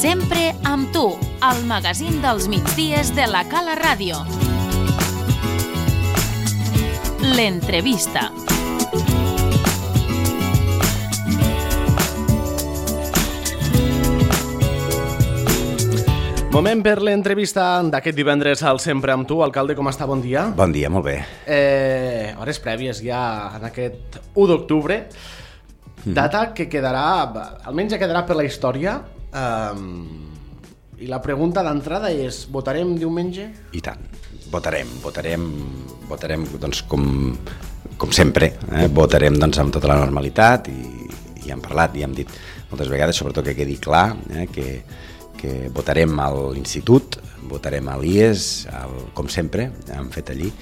Sempre amb tu, al magazín dels migdies de la Cala Ràdio. L'entrevista. Moment per l'entrevista d'aquest divendres al Sempre amb tu. Alcalde, com està? Bon dia. Bon dia, molt bé. Hores prèvies ja en aquest 1 d'octubre, data que quedarà, almenys ja quedarà per la història, i la pregunta d'entrada és, votarem diumenge? I tant, votarem doncs, com sempre, votarem doncs, amb tota la normalitat i hem parlat i hem dit moltes vegades, sobretot que quedi clar, que votarem a l'institut, votarem a l'IES, com sempre, hem fet allí,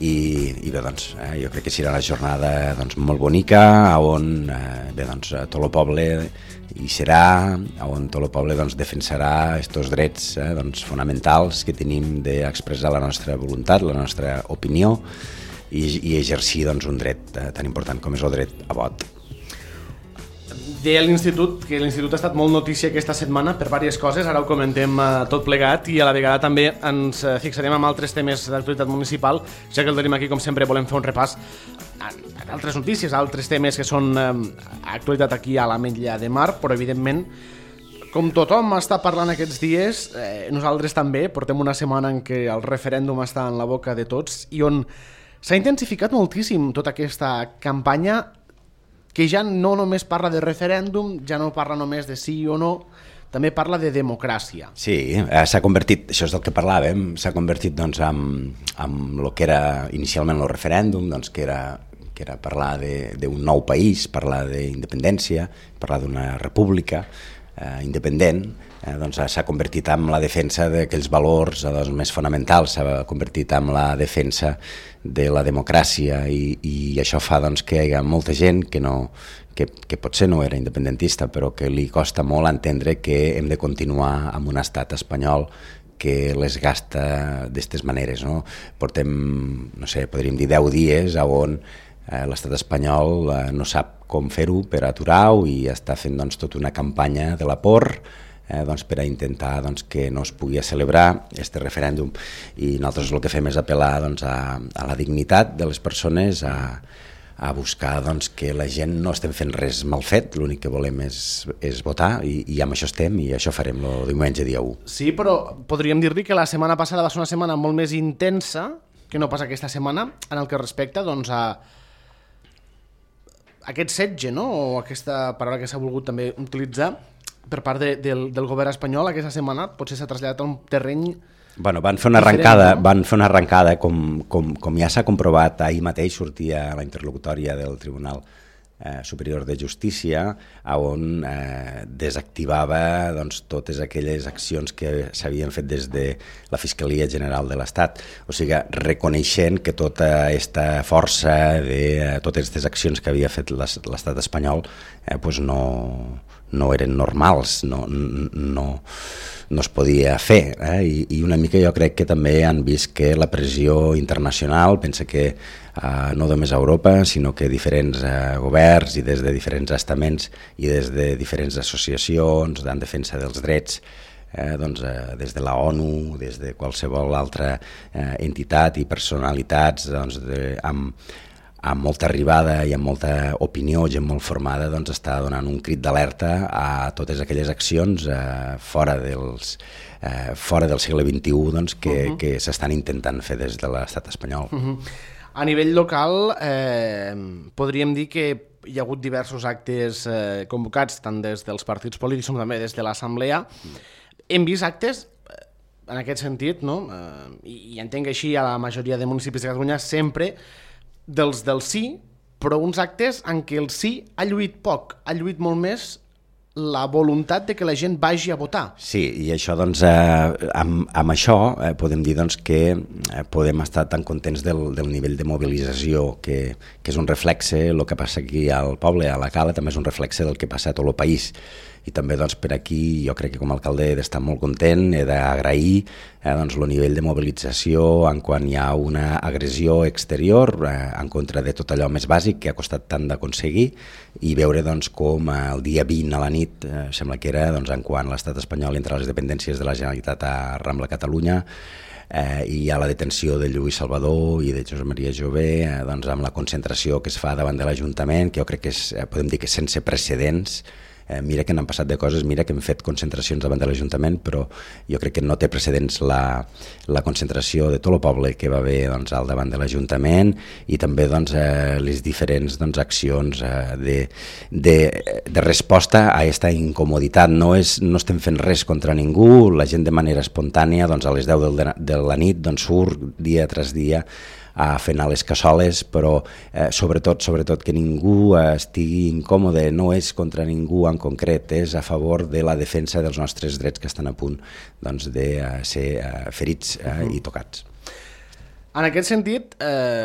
i bé, doncs, jo crec que serà una jornada doncs, molt bonica, on bé, doncs, tot el poble hi serà, on tot el poble doncs, defensarà aquests drets doncs, fonamentals que tenim d'expressar la nostra voluntat, la nostra opinió, i exercir doncs, un dret tan important com és el dret a vot. Deia l'Institut que l'Institut ha estat molt notícia aquesta setmana per diverses coses, ara ho comentem tot plegat i a la vegada també ens fixarem en altres temes d'actualitat municipal, ja que el tenim aquí com sempre volem fer un repàs a altres notícies, a altres temes que són actualitat aquí a l'Ametlla de Mar, però evidentment com tothom està parlant aquests dies, nosaltres també portem una setmana en què el referèndum està en la boca de tots i on s'ha intensificat moltíssim tota aquesta campanya que ja no només parla de referèndum, ja no parla només de sí o no, també parla de democràcia. Sí, s'ha convertit, això és del que parlàvem, s'ha convertit doncs, en el que era inicialment el referèndum, doncs, que era parlar d'un nou país, parlar d'independència, parlar d'una república independent, doncs s'ha convertit en la defensa d'aquells valors doncs, més fonamentals, s'ha convertit en la defensa de la democràcia i això fa doncs, que hi ha molta gent que potser no era independentista però que li costa molt entendre que hem de continuar amb un estat espanyol que les gasta d'aquestes maneres. No? Portem, no sé, podríem dir 10 dies on l'estat espanyol no sap com fer-ho per aturar-ho i està fent doncs, tota una campanya de la por doncs, per a intentar doncs, que no es pugui celebrar aquest referèndum. I nosaltres el que fem és apel·lar doncs, a la dignitat de les persones, a buscar doncs, que la gent no estem fent res mal fet, l'únic que volem és votar i amb això estem i això farem el diumenge dia 1. Sí, però podríem dir-li que la setmana passada va ser una setmana molt més intensa que no pas aquesta setmana en el que respecta doncs, a aquest setge, no? O aquesta paraula que s'ha volgut també utilitzar per part del govern espanyol aquesta setmana potser s'ha traslladat a un terreny Bueno, van fer una arrencada, com ja s'ha comprovat, ahir mateix sortia la interlocutòria del Tribunal Superior de Justícia, on desactivava doncs, totes aquelles accions que s'havien fet des de la Fiscalia General de l'Estat. O sigui, reconeixent que tota aquesta força de totes aquestes accions que havia fet l'estat espanyol pues no eren normals, no es podia fer. I una mica jo crec que també han vist que la pressió internacional, pensa que no només a Europa, sinó que diferents governs i des de diferents estaments i des de diferents associacions en defensa dels drets, doncs, des de la ONU, des de qualsevol altra entitat i personalitats doncs, amb molta arribada i amb molta opinió, gent molt formada, doncs està donant un crit d'alerta a totes aquelles accions fora del segle XXI doncs, que s'estan intentant fer des de l'estat espanyol. A nivell local podríem dir que hi ha hagut diversos actes convocats tant des dels partits polítics com també des de l'Assemblea. Hem vist actes en aquest sentit, no? I entenc que així a la majoria de municipis de Catalunya sempre dels del sí, però uns actes en què el sí ha lluït poc, ha lluït molt més la voluntat de que la gent vagi a votar. Sí, i això, doncs, amb això podem dir doncs, que podem estar tan contents del nivell de mobilització, que és un reflexe, el que passa aquí al poble, a la Cala, també és un reflexe del que passa a tot el país. I també doncs, per aquí jo crec que com a alcalde he d'estar molt content, he d'agrair doncs, el nivell de mobilització en quan hi ha una agressió exterior en contra de tot allò més bàsic que ha costat tant d'aconseguir i veure doncs, com el dia 20 a la nit nit, sembla que era, doncs, en quan l'estat espanyol entra a les dependències de la Generalitat a Rambla Catalunya, i hi ha la detenció de Lluís Salvador i de Josep Maria Jové, doncs, amb la concentració que es fa davant de l'Ajuntament, que jo crec que podem dir que sense precedents. Mira que n'han passat de coses, mira que hem fet concentracions davant de l'Ajuntament, però jo crec que no té precedents la concentració de tot el poble que va haver, doncs, al davant de l'Ajuntament, i també, doncs, les diferents, doncs, accions de resposta a aquesta incomoditat. No estem fent res contra ningú, la gent de manera espontània, doncs, a les 10 de la nit, doncs, surt dia tras dia a fer anar les cassoles, però sobretot que ningú estigui incòmode. No és contra ningú en concret, és a favor de la defensa dels nostres drets que estan a punt, doncs, de ser ferits i tocats. En aquest sentit,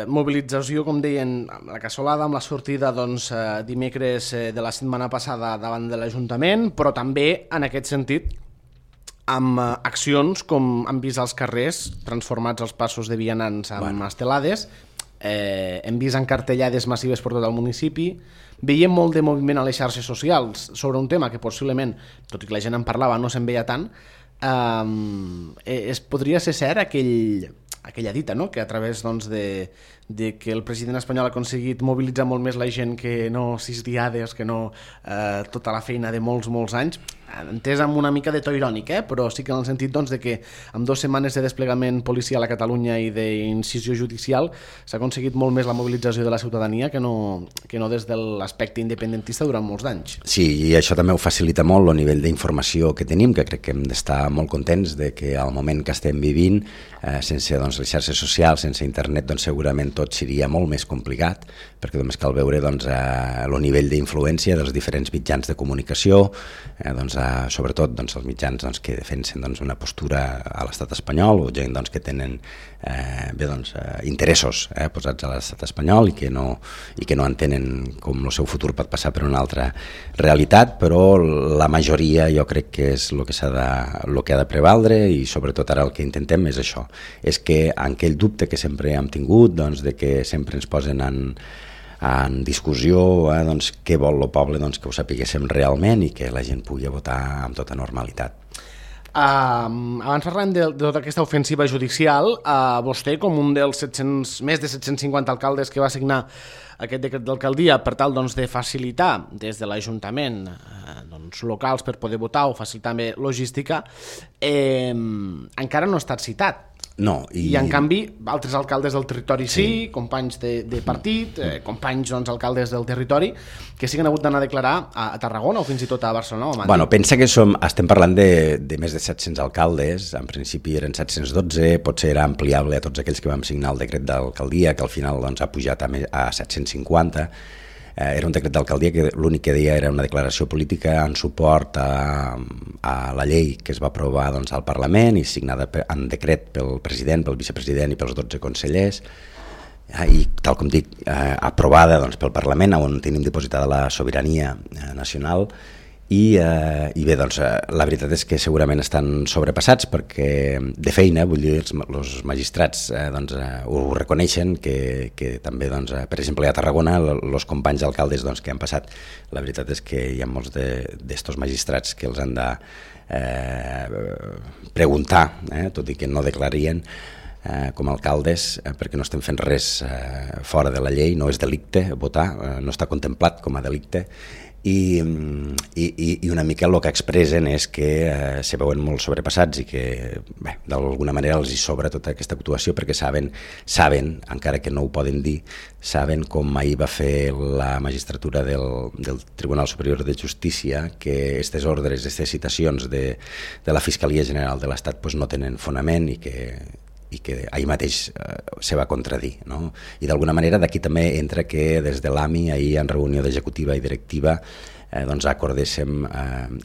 mobilització, com deien, amb la cassolada, amb la sortida, doncs, dimecres de la setmana passada davant de l'Ajuntament, però també, en aquest sentit, amb accions com han vist als carrers, transformats els passos de vianants en estelades, hem vist encartellades massives per tot el municipi, veiem molt de moviment a les xarxes socials sobre un tema que possiblement, tot i que la gent en parlava, no se'n veia tant. Podria ser cert aquella dita, no?, que a través, doncs, de que el president espanyol ha aconseguit mobilitzar molt més la gent que no 6 diades, que no tota la feina de molts anys, entès amb una mica de to irònic, però sí que en el sentit, doncs, de que amb 2 setmanes de desplegament policial a Catalunya i d'incisió judicial s'ha aconseguit molt més la mobilització de la ciutadania que no des de l'aspecte independentista durant molts d'anys. Sí, i això també ho facilita molt el nivell d'informació que tenim, que crec que hem d'estar molt contents de que al moment que estem vivint, sense, doncs, les xarxes socials, sense internet, doncs segurament tot seria molt més complicat, perquè només cal veure, doncs, el nivell d'influència dels diferents mitjans de comunicació, doncs, sobretot, doncs, els mitjans, doncs, que defensen, doncs, una postura a l'estat espanyol, o gent, doncs, que tenen interessos posats a l'estat espanyol i que no entenen com el seu futur pot passar per una altra realitat, però la majoria jo crec que és el que ha de prevaldre, i sobretot ara el que intentem és això, és que aquell dubte que sempre hem tingut, doncs, de que sempre ens posen en discussió, doncs, què vol el poble, doncs, que ho sapiguéssim realment i que la gent pugui votar amb tota normalitat. Abans parlem de tota aquesta ofensiva judicial, vostè, com un dels més de 750 alcaldes que va signar aquest decret d'alcaldia per tal, doncs, de facilitar des de l'Ajuntament, doncs, locals per poder votar o facilitar també logística, encara no ha estat citat. No, I en canvi altres alcaldes del territori sí, companys de partit, companys, doncs, alcaldes del territori que sí que han hagut d'anar a declarar a Tarragona o fins i tot a Barcelona o a Madrid. Bueno, pensa que estem parlant de més de 700 alcaldes, en principi eren 712, potser era ampliable a tots aquells que vam signar el decret d'alcaldia, que al final, doncs, ha pujat a 750. Era un decret d'alcaldia que l'únic que deia era una declaració política en suport a la llei que es va aprovar, doncs, al Parlament i signada en decret pel president, pel vicepresident i pels 12 consellers, i, tal com dic, aprovada, doncs, pel Parlament, on tenim dipositada la sobirania nacional. I bé, doncs, la veritat és que segurament estan sobrepassats perquè de feina, vull dir, els magistrats doncs, ho reconeixen, que també, doncs, per exemple, a Tarragona, els companys alcaldes, doncs, que han passat, la veritat és que hi ha molts d'estos magistrats que els han de preguntar, tot i que no declarien, com a alcaldes, perquè no estem fent res fora de la llei, no és delicte votar, no està contemplat com a delicte, i una mica el que expressen és que se veuen molt sobrepassats i que, bé, d'alguna manera els hi sobra tota aquesta actuació perquè saben, encara que no ho poden dir, saben com ahir va fer la magistratura del Tribunal Superior de Justícia que aquestes ordres, aquestes citacions de la Fiscalia General de l'Estat pues no tenen fonament i que ahir mateix se va contradir, no? I d'alguna manera d'aquí també entra que des de l'AMI ahir en reunió d'executiva i directiva doncs acordéssim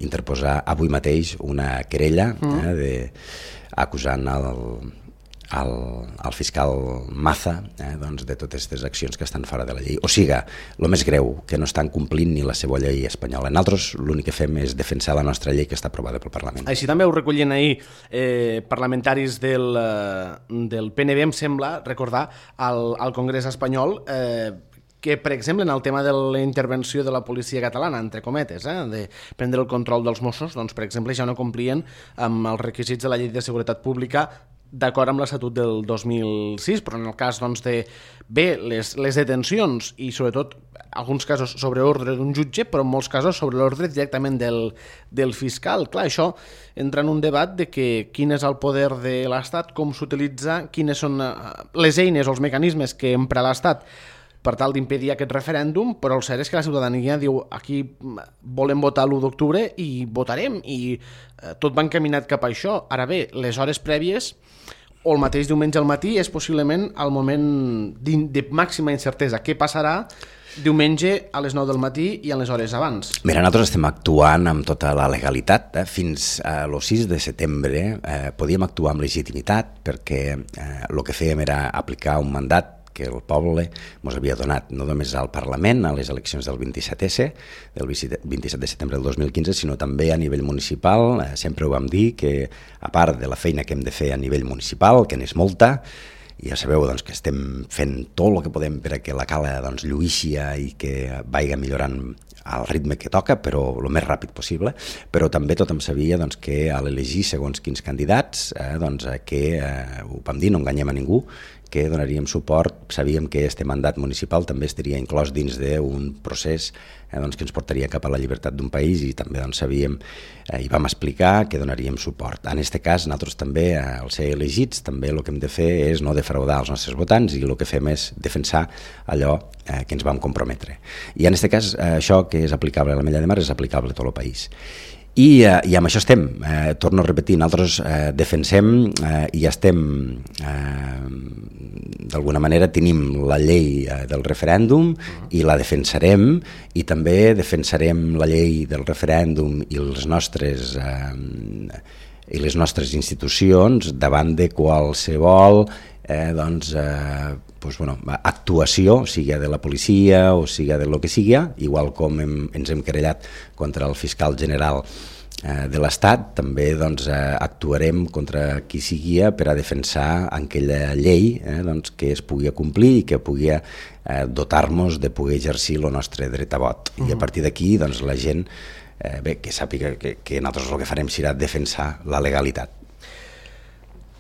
interposar avui mateix una querella acusant el fiscal Maza doncs de totes aquestes accions que estan fora de la llei. O sigui, el més greu, que no estan complint ni la seva llei espanyola. Nosaltres l'únic que fem és defensar la nostra llei que està aprovada pel Parlament. Així també ho recollien ahir parlamentaris del PNB, em sembla recordar, al Congrés espanyol, que, per exemple, en el tema de la intervenció de la policia catalana, entre cometes, de prendre el control dels Mossos, doncs, per exemple, ja no complien amb els requisits de la Llei de Seguretat Pública d'acord amb l'Estatut del 2006, però en el cas doncs, de les detencions i sobretot alguns casos sobre ordre d'un jutge, però en molts casos sobre l'ordre directament del fiscal. Clar, això entra en un debat de que quin és el poder de l'Estat, com s'utilitza, quines són les eines o els mecanismes que empra l'Estat per tal d'impedir aquest referèndum, però el cert és que la ciutadania diu aquí volem votar l'1 d'octubre i votarem, i tot va encaminat cap a això. Ara bé, les hores prèvies o el mateix diumenge al matí és possiblement el moment de màxima incertesa. Què passarà diumenge a les 9 del matí i a les hores abans? Mira, nosaltres estem actuant amb tota la legalitat. Fins al 6 de setembre podíem actuar amb legitimitat perquè el que fèiem era aplicar un mandat que el poble ens havia donat no només al Parlament, a les eleccions del 27S, del 27 de setembre del 2015, sinó també a nivell municipal. Sempre ho vam dir, que a part de la feina que hem de fer a nivell municipal, que n'és molta, i ja sabeu doncs, que estem fent tot el que podem per a que la cala doncs, lluïxi i que vagi millorant al ritme que toca, però el més ràpid possible, però també tothom sabia doncs, que a l'elegir segons quins candidats, doncs, que ho vam dir, no enganyem a ningú, que donaríem suport, sabíem que este mandat municipal també estaria inclòs dins d'un procés doncs, que ens portaria cap a la llibertat d'un país, i també doncs, sabíem i vam explicar que donaríem suport. En aquest cas, nosaltres també, al ser elegits, també el que hem de fer és no defraudar els nostres votants, i el que fem és defensar allò que ens vam comprometre. I en aquest cas, això que és aplicable a l'Ametlla de Mar és aplicable a tot el país. I amb això estem, torno a repetir, nosaltres defensem i estem, d'alguna manera tenim la llei del referèndum i la defensarem, i també defensarem la llei del referèndum i les nostres institucions davant de qualsevol actuació, sigui de la policia o sigui de lo que sigui, igual com ens hem querellat contra el fiscal general de l'Estat, també actuarem contra qui sigui per a defensar aquella llei que es pugui complir i que pugui dotar-nos de poder exercir el nostre dret a vot. I a partir d'aquí la gent que sàpiga que nosaltres el que farem serà defensar la legalitat.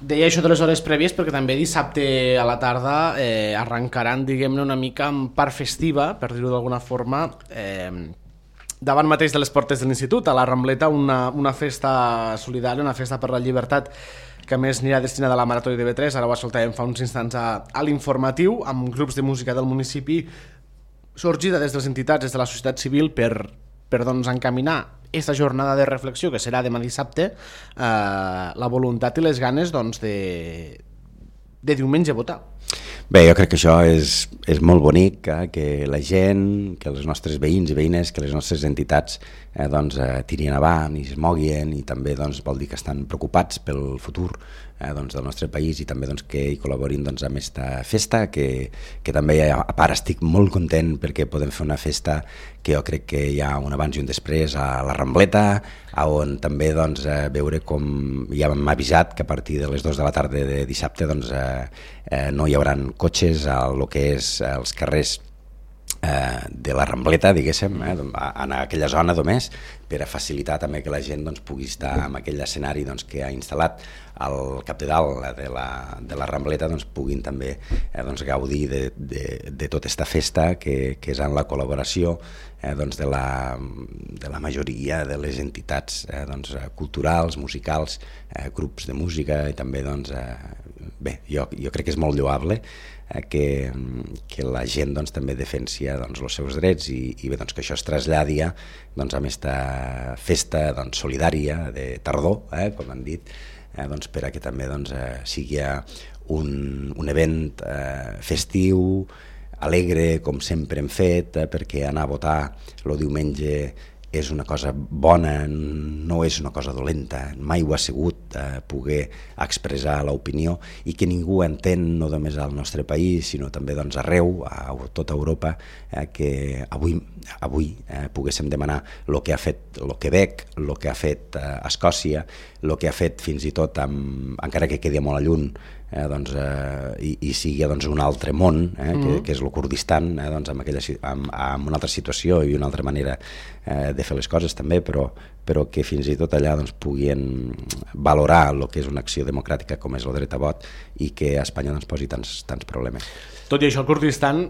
Deia això de les hores prèvies perquè també dissabte a la tarda arrencaran, diguem-ne, una mica en part festiva, per dir-ho d'alguna forma, davant mateix de les portes de l'Institut, a la Rambleta, una festa solidària, una festa per la llibertat, que a més anirà destinada a la Marató de TV3, ara ho escoltàvem fa uns instants a l'informatiu, amb grups de música del municipi, sorgida des de les entitats, des de la societat civil, per encaminar aquesta jornada de reflexió que serà demà dissabte, la voluntat i les ganes de diumenge votar. Bé, jo crec que això és molt bonic, que la gent, que els nostres veïns i veïnes, que les nostres entitats tirin avant i es moguin, i també vol dir que estan preocupats pel futur del nostre país, i també que hi col·laborin amb aquesta festa, que també a part estic molt content perquè podem fer una festa que jo crec que hi ha un abans i un després a la Rambleta, on també veure com ja m'ha avisat que a partir de les 2 de la tarda de dissabte no hi haurà cotxes a lo que és els carrers de la Rambleta, diguéssim, en aquella zona només, per a facilitar també que la gent pugui estar en aquell escenari que ha instal·lat al cap de dalt de la Rambleta, puguin també gaudir de tota aquesta festa que és en la col·laboració de la majoria de les entitats culturals, musicals, grups de música, i també bé, jo crec que és molt lloable que la gent també defensi els seus drets, i bé, que això es traslladi amb aquesta festa solidària de tardor, com han dit, per a que també sigui un event festiu, alegre, com sempre hem fet, perquè anar a votar el diumenge és una cosa bona, no és una cosa dolenta, mai ho ha sigut poder expressar l'opinió, i que ningú entén, no només al nostre país, sinó també arreu, a tota Europa, que avui poguéssim demanar el que ha fet el Quebec, el que ha fet Escòcia, el que ha fet fins i tot, encara que quedi molt a lluny, i sigui un altre món, que és el Kurdistan, amb una altra situació i una altra manera de fer les coses també, però que fins i tot allà puguin valorar el que és una acció democràtica com és el dret a vot i que a Espanya posi tants problemes. Tot i això, el Kurdistan,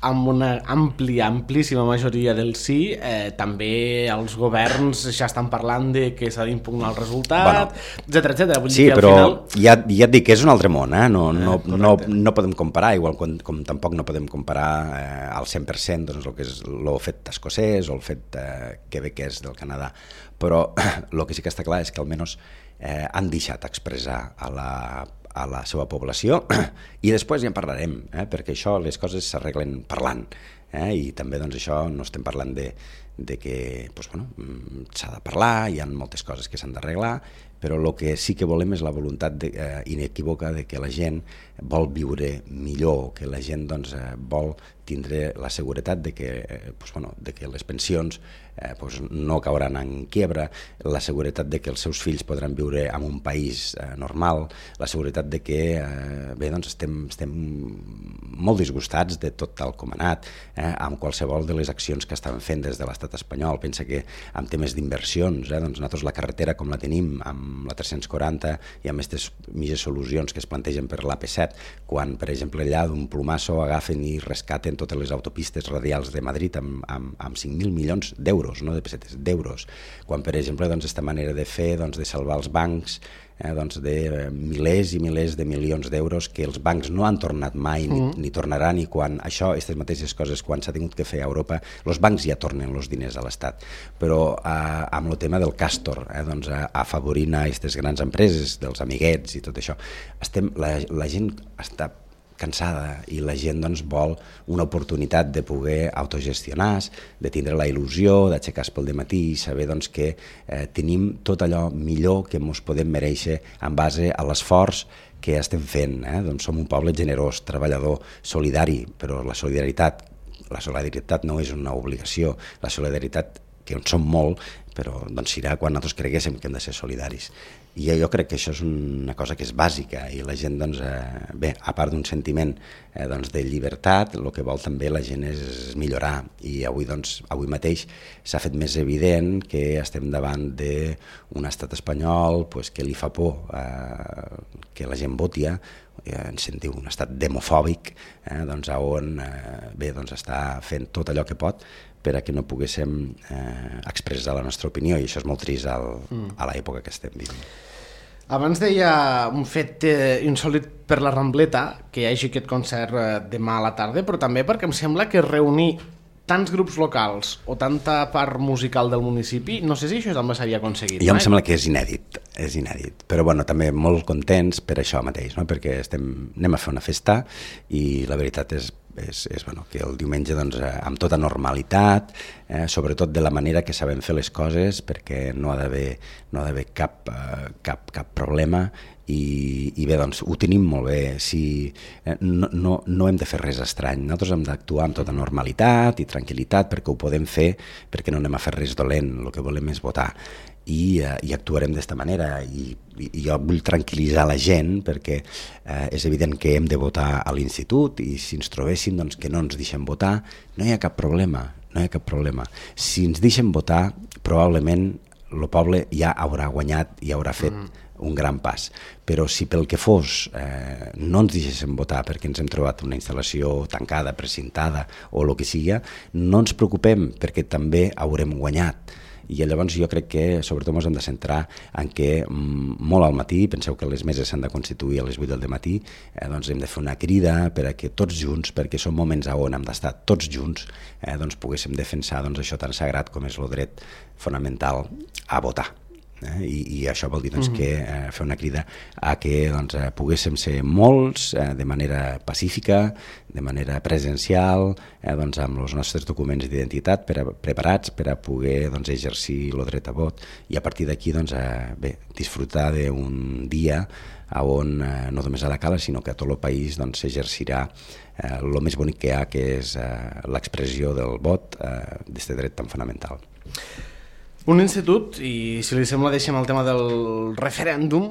amb una amplíssima majoria del sí, també els governs ja estan parlant de que s'ha d'impugnar el resultat, etcètera. Sí, però ja et dic que és un altre món, no podem comparar, igual com tampoc no podem comparar al 100% el que és el fet escocès o el fet quebequès del Canadà, però el que sí que està clar és que almenys han deixat expressar a la seva població i després ja en parlarem, perquè això les coses s'arreglen parlant, i també això no estem parlant de que s'ha de parlar, hi ha moltes coses que s'han d'arreglar, però el que sí que volem és la voluntat inequívoca de que la gent vol viure millor, que la gent vol tindre la seguretat de que les pensions no cauran en quiebra, la seguretat de que els seus fills podran viure en un país normal, la seguretat de que estem molt disgustats de tot tal com ha anat, amb qualsevol de les accions que estan fent des de l'estat espanyol. Pensa que en temes d'inversions, nosaltres la carretera com la tenim amb la 340 i amb aquestes mitges solucions que es plantegen per l'AP7, quan per exemple allà d'un plomasso agafen i rescaten totes les autopistes radials de Madrid amb 5.000 milions d'euros, no de pessetes, d'euros, quan per exemple aquesta manera de fer, de salvar els bancs, de milers i milers de milions d'euros que els bancs no han tornat mai ni tornaran, i quan aquestes mateixes coses quan s'ha tingut que fer a Europa, els bancs ja tornen els diners a l'Estat, però amb el tema del Castor, afavorint a aquestes grans empreses, dels amiguets i tot això, la gent està cansada i la gent vol una oportunitat de poder autogestionar, de tindre la il·lusió d'aixecar-se pel dematí i saber que tenim tot allò millor que ens podem mereixer en base a l'esforç que estem fent. Som un poble generós, treballador, solidari, però la solidaritat no és una obligació, la solidaritat que en som molt, però serà quan nosaltres creguéssim que hem de ser solidaris. I jo crec que això és una cosa que és bàsica i la gent, a part d'un sentiment de llibertat, el que vol també la gent és millorar, i avui mateix s'ha fet més evident que estem davant d'un estat espanyol que li fa por que la gent voti, ens sentiu un estat demofòbic, on està fent tot allò que pot per a que no poguéssim expressar la nostra opinió, i això és molt trist a l'època que estem vivint. Abans deia un fet insòlit per la Rambleta, que hi hagi aquest concert demà a la tarda, però també perquè em sembla que reunir tants grups locals o tanta part musical del municipi, no sé si això també s'havia aconseguit. Jo em sembla que és inèdit, però també molt contents per això mateix, perquè anem a fer una festa i la veritat és que el diumenge amb tota normalitat, sobretot de la manera que sabem fer les coses, perquè no ha d'haver cap problema, i bé, ho tenim molt bé. No hem de fer res estrany, nosaltres hem d'actuar amb tota normalitat i tranquil·litat perquè ho podem fer, perquè no anem a fer res dolent, el que volem és votar, i actuarem d'esta manera, i jo vull tranquil·litzar la gent perquè és evident que hem de votar a l'institut, i si ens trobéssim que no ens deixem votar, no hi ha cap problema. Si ens deixem votar, probablement el poble ja haurà guanyat i haurà fet un gran pas, però si pel que fos no ens deixéssim votar perquè ens hem trobat una instal·lació tancada, precintada o el que sigui, no ens preocupem perquè també haurem guanyat. I llavors jo crec que sobretot ens hem de centrar en que molt al matí, penseu que les meses s'han de constituir a les 8 del matí, hem de fer una crida per a que tots junts, perquè són moments on hem d'estar tots junts, poguéssim defensar això tan sagrat com és el dret fonamental a votar. I això vol dir que fer una crida a que poguéssim ser molts de manera pacífica, de manera presencial, amb els nostres documents d'identitat preparats per a poder exercir el dret a vot, i a partir d'aquí disfrutar d'un dia on no només a la Cala sinó que a tot el país s'exercirà el més bonic que hi ha, que és l'expressió del vot, d'aquest dret tan fonamental. Un institut, i si li sembla deixem el tema del referèndum,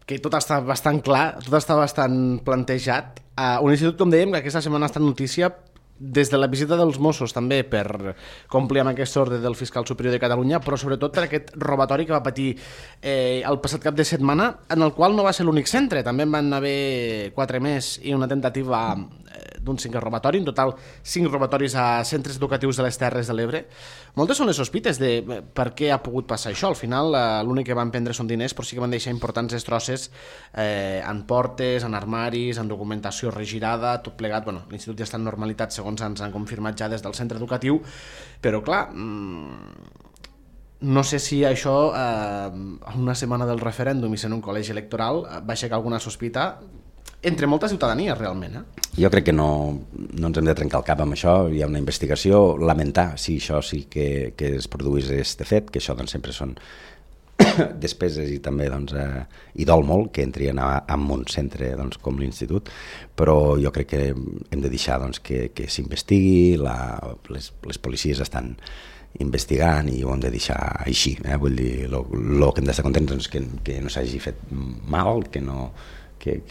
que tot està bastant clar, tot està bastant plantejat. Un institut, com dèiem, que aquesta setmana ha estat notícia des de la visita dels Mossos també per complir amb aquest ordre del fiscal superior de Catalunya, però sobretot per aquest robatori que va patir el passat cap de setmana, en el qual no va ser l'únic centre, també en van haver 4 més i una tentativa d'un 5è robatori, en total 5 robatoris a centres educatius de les Terres de l'Ebre. Moltes són les sospites de per què ha pogut passar això. Al final l'únic que van prendre són diners, però sí que van deixar importants destrosses en portes, en armaris, en documentació regirada, tot plegat. Bueno, l'institut ja està en normalitat, segons ens han confirmat ja des del centre educatiu, però clar, no sé si això a una setmana del referèndum i sent un col·legi electoral va aixecar alguna sospita entre molta ciutadania, realment. Jo crec que no ens hem de trencar el cap amb això. Hi ha una investigació, lamentar si això sí que es produís este fet, que això doncs, sempre són despeses i també doncs, i dol molt que entrien en un centre doncs, com l'institut, però jo crec que hem de deixar doncs, que s'investigui, les policies estan investigant i ho hem de deixar així. Vull dir, el que hem d'estar contents és que no s'hagi fet mal, que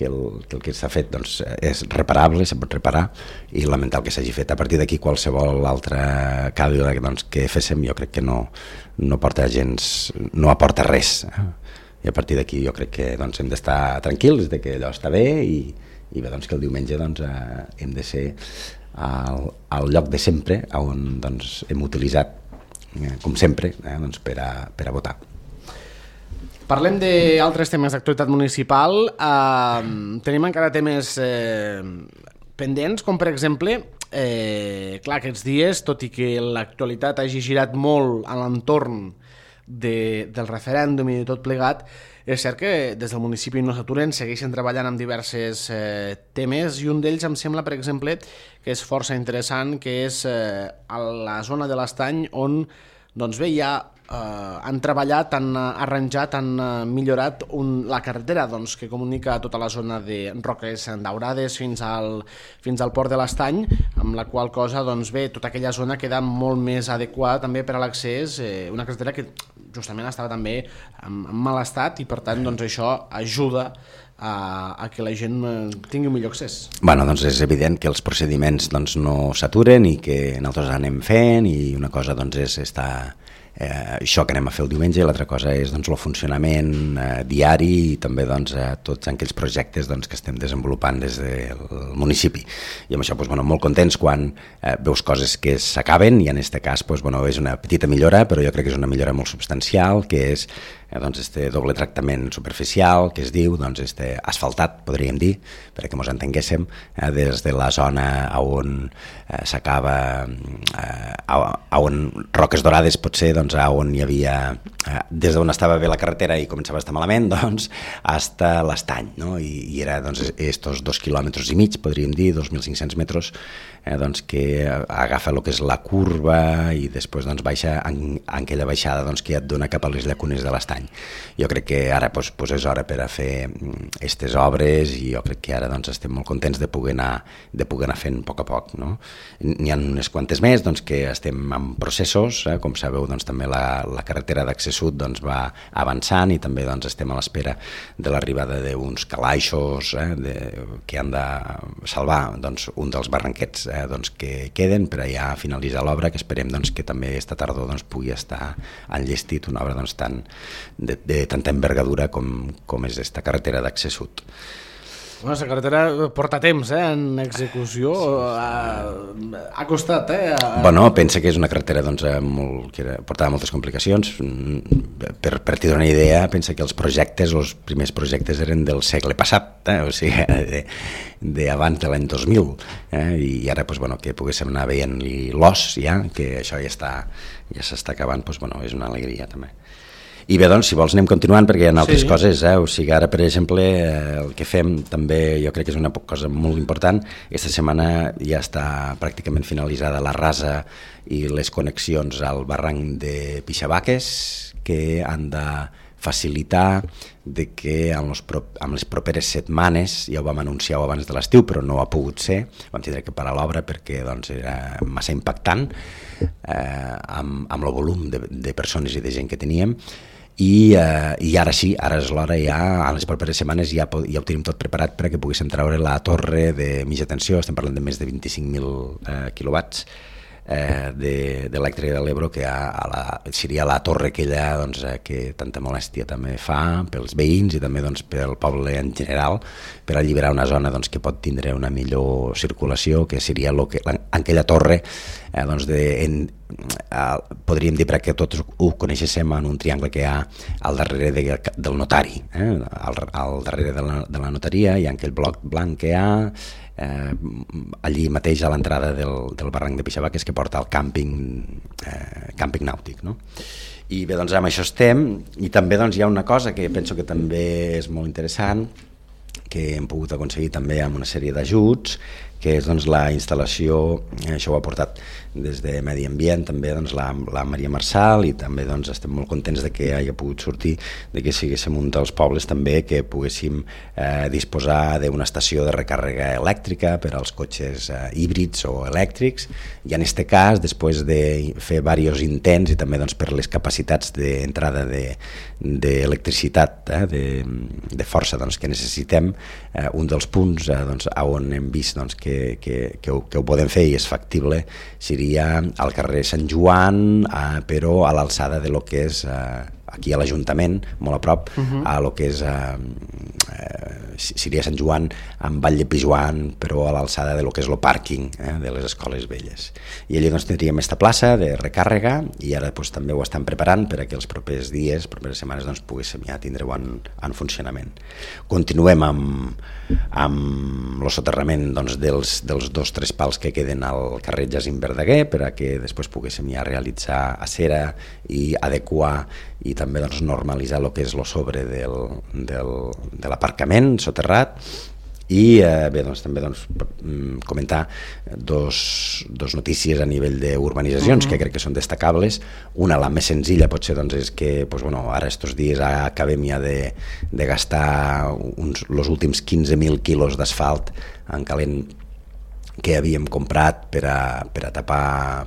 el que s'ha fet doncs, és reparable, se pot reparar, i lamentar el que s'hagi fet. A partir d'aquí qualsevol altra càlida doncs, que féssim jo crec que no aporta gens, no aporta res. I a partir d'aquí jo crec que doncs, hem d'estar tranquils de que allò està bé i bé, doncs, que el diumenge doncs, hem de ser al lloc de sempre on doncs, hem utilitzat com sempre doncs, per a votar. Parlem d'altres temes d'actualitat municipal. Tenim encara temes pendents, com per exemple, clar, aquests dies, tot i que l'actualitat hagi girat molt a l'entorn del referèndum i de tot plegat, és cert que des del municipi no s'aturen, segueixen treballant amb diversos temes, i un d'ells em sembla, per exemple, que és força interessant, que és a la zona de l'Estany, on doncs bé, ja han treballat, han arranjat, han millorat la carretera doncs, que comunica tota la zona de Roques Daurades fins al port de l'Estany, amb la qual cosa doncs, bé, tota aquella zona queda molt més adequada també per a l'accés, una carretera que justament estava també en mal estat i per tant doncs, això ajuda a que la gent tingui un millor accés. Bueno, doncs és evident que els procediments doncs, no s'aturen i que nosaltres anem fent, i una cosa doncs, és estar això que anem a fer el diumenge, i l'altra cosa és doncs, el funcionament diari i també doncs, tots aquells projectes doncs, que estem desenvolupant des del municipi. I amb això doncs, bueno, molt contents quan veus coses que s'acaben, i en aquest cas doncs, bueno, és una petita millora, però jo crec que és una millora molt substancial, que és doncs, este doble tractament superficial, que es diu doncs, este asfaltat, podríem dir, perquè ens entenguéssim, des de la zona on s'acaba, on Roques Daurades potser, doncs, on hi havia, des d'on estava bé la carretera i començava a estar malament, doncs, fins a l'Estany, no? I era doncs, estos 2,5 quilòmetres, podríem dir, 2.500 metres, doncs, que agafa el que és la curva i després doncs, baixa en aquella baixada doncs, que ja et dona cap a les llacunes de l'Estany. Jo crec que ara doncs, és hora per a fer aquestes obres, i jo crec que ara doncs, estem molt contents de poder anar fent a poc. No? N'hi ha unes quantes més doncs, que estem en processos, com sabeu doncs, també la carretera d'accés sud doncs, va avançant, i també doncs, estem a l'espera de l'arribada d'uns calaixos que han de salvar doncs, un dels barranquets doncs, que queden per allà finalitzar l'obra, que esperem doncs, que també esta tardor doncs, pugui estar enllestit una obra doncs, de tanta envergadura com és esta carretera d'accés sud. Bueno, la carretera porta temps en execució, ha costat. Bueno, pensa que és una carretera doncs, que portava moltes complicacions. Per tenir una idea, pensa que els primers projectes eren del segle passat, o sigui, d'abans de l'any 2000, i ara doncs, bueno, que poguéssim anar veient l'os ja, que això ja s'està acabant, doncs, bueno, és una alegria també. I bé, doncs, si vols anem continuant, perquè hi ha altres coses, o sigui, ara, per exemple, el que fem també, jo crec que és una cosa molt important. Aquesta setmana ja està pràcticament finalitzada la rasa i les connexions al barranc de Pixabaques, que han de facilitar de que en les properes setmanes, ja ho vam anunciar abans de l'estiu, però no ha pogut ser, vam tindre que parar l'obra perquè doncs, era massa impactant amb el volum de persones i de gent que teníem, i ara sí, ara és l'hora ja, a les properes setmanes ja ho tenim tot preparat perquè poguéssim treure la torre de mitja tensió, estem parlant de més de 25.000 quilowatts de l'elèctrica de l'Ebro, que seria la torre aquella doncs, que tanta molèstia també fa pels veïns i també doncs, pel poble en general, per alliberar una zona doncs, que pot tindre una millor circulació, que seria aquella torre doncs, podríem dir, perquè tots ho coneixem, en un triangle que hi ha al darrere del notari, al darrere de la notaria hi ha aquell bloc blanc que hi ha allí mateix a l'entrada del barranc de Pixabaques, que porta al càmping nàutic, no? I bé, doncs amb això estem, i també doncs, hi ha una cosa que penso que també és molt interessant, que hem pogut aconseguir també amb una sèrie d'ajuts, que és doncs, la instal·lació, això ho ha portat des de Medi Ambient també doncs, la Maria Marçal, i també doncs, estem molt contents de que hagi pogut sortir, de que siguéssim un dels pobles també que poguéssim disposar d'una estació de recàrrega elèctrica per als cotxes híbrids o elèctrics, i en aquest cas, després de fer diversos intents i també doncs, per les capacitats d'entrada d'electricitat, de força doncs, que necessitem, un dels punts doncs, on hem vist doncs, que ho podem fer i és factible seria al carrer Sant Joan, però a l'alçada de lo que és aquí a l'Ajuntament, molt a prop, a lo que és seria Sant Joan amb Vall de Pijuan, però a l'alçada de lo que és el pàrquing de les escoles velles. I allà doncs, tindríem aquesta plaça de recàrrega, i ara doncs, també ho estan preparant per a que els propers dies, properes setmanes, doncs, poguéssim ja tindre-ho en funcionament. Continuem amb el soterrament doncs, dels 2-3 pals que queden al carrer Jacint Verdaguer, per a que després poguéssim ja realitzar acera i adequar i també doncs, normalitzar el que és el sobre de l'aparcament soterrat. I bé, doncs, també doncs, comentar dos notícies a nivell d'urbanitzacions que crec que són destacables. Una, la més senzilla, potser doncs, és que doncs, bueno, ara estos dies acabem ja de gastar els últims 15.000 quilos d'asfalt en calent que havíem comprat per a tapar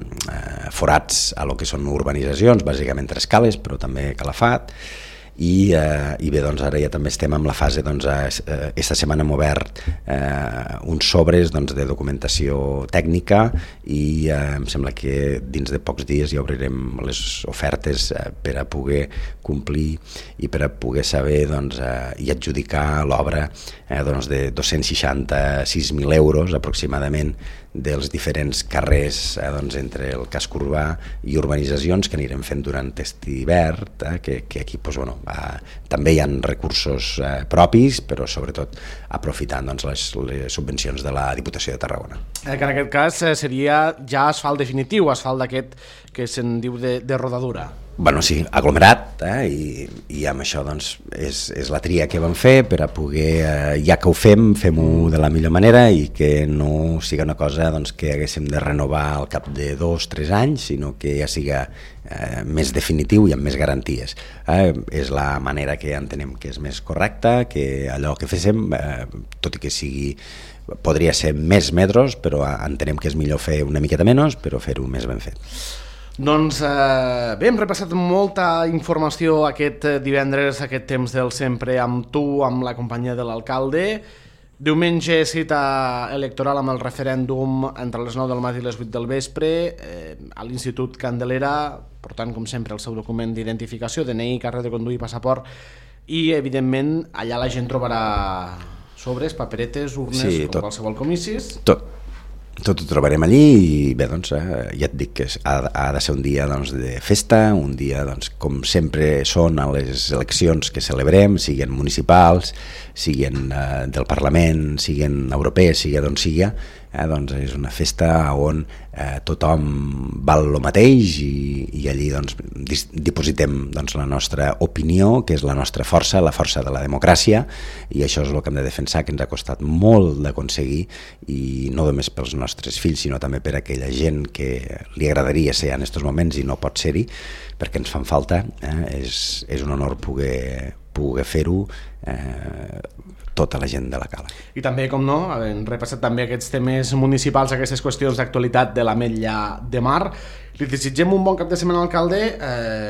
forats a lo que són urbanitzacions, bàsicament tres cales, però també Calafat. I bé, doncs ara ja també estem en la fase, doncs, esta setmana hem obert uns sobres doncs, de documentació tècnica, i em sembla que dins de pocs dies ja obrirem les ofertes per a poder complir i per a poder saber doncs, i adjudicar l'obra doncs, de 266.000 euros aproximadament dels diferents carrers doncs, entre el casc urbà i urbanitzacions que anirem fent durant aquest hivern, que aquí doncs, bueno, també hi ha recursos propis, però sobretot aprofitant doncs, les subvencions de la Diputació de Tarragona. Que en aquest cas seria ja asfalt definitiu, asfalt d'aquest que se'n diu de rodadura. Bueno, sí, aglomerat, i amb això doncs, és la tria que vam fer per a poder, ja que ho fem-ho de la millor manera i que no siga una cosa doncs, que haguéssim de renovar al cap de 2-3 anys, sinó que ja siga més definitiu i amb més garanties. És la manera que entenem que és més correcta, que allò que féssim, tot i que sigui podria ser més metros, però entenem que és millor fer una miqueta menys, però fer-ho més ben fet. Doncs bé, hem repassat molta informació aquest divendres, aquest temps del sempre, amb tu, amb la companyia de l'alcalde. Diumenge cita electoral amb el referèndum entre les 9 del matí i les 8 del vespre a l'Institut Candelera, portant com sempre el seu document d'identificació, DNI, carnet de conduir, passaport, i evidentment allà la gent trobarà sobres, paperetes, urnes, sí, com qualsevol comicis. Tot ho trobarem allí, i bé, doncs, ja et dic que ha de ser un dia doncs, de festa, un dia doncs, com sempre són a les eleccions que celebrem, siguin municipals, siguin del Parlament, siguin europees, sigui d'on sigui, doncs és una festa on tothom val el mateix, i allí doncs, dipositem doncs, la nostra opinió, que és la nostra força, la força de la democràcia, i això és el que hem de defensar, que ens ha costat molt d'aconseguir, i no només pels nostres fills, sinó també per a aquella gent que li agradaria ser en aquests moments i no pot ser-hi, perquè ens fan falta. És un honor poder fer-ho tota la gent de la Cala. I també, com no, hem repassat també aquests temes municipals, aquestes qüestions d'actualitat de l'Ametlla de Mar. Li desitgem un bon cap de setmana, alcalde,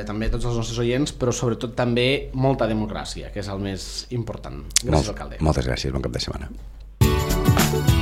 també a tots els nostres oients, però sobretot també molta democràcia, que és el més important. Gràcies, alcalde. Moltes gràcies, bon cap de setmana.